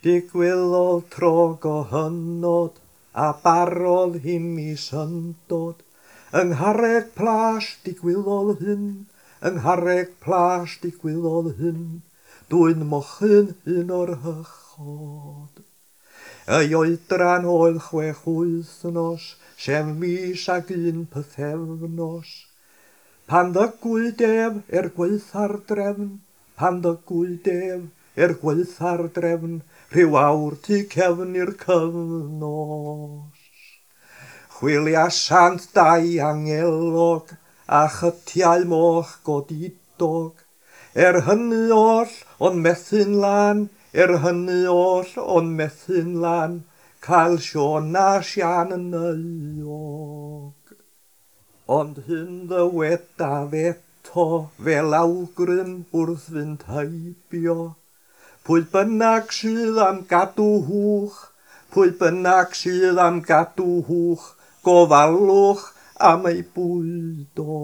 Digwyddodd tro go hynod, a barodd i mi syndod. Yng Ngharreg Plas digwyddodd hyn, yng Ngharreg Plas digwyddodd hyn, dwyn mochyn un o'r hychod. Ei oedran oedd 6 wythnos, sef mis ag un pythefnos. Pan ddygwyd ef er gwaetha'r drefn, pan ddygwyd ef er gwaetha'r drefn, rhyw awr tu cefn i'r cyfnos. Chwiliasant dau angelog a chytiau moch godidog. Er hynny oll, ond methu'n lân, er hynny oll, ond methu'n lân, cael Siôn a Siân yn euog. Ond hyn ddywedaf eto, fel awgrym wrth fynd heibio. Pwy bynnag sydd am gadw hwch, pwy bynnag sydd am gadw hwch, gofalwch am ei bwydo.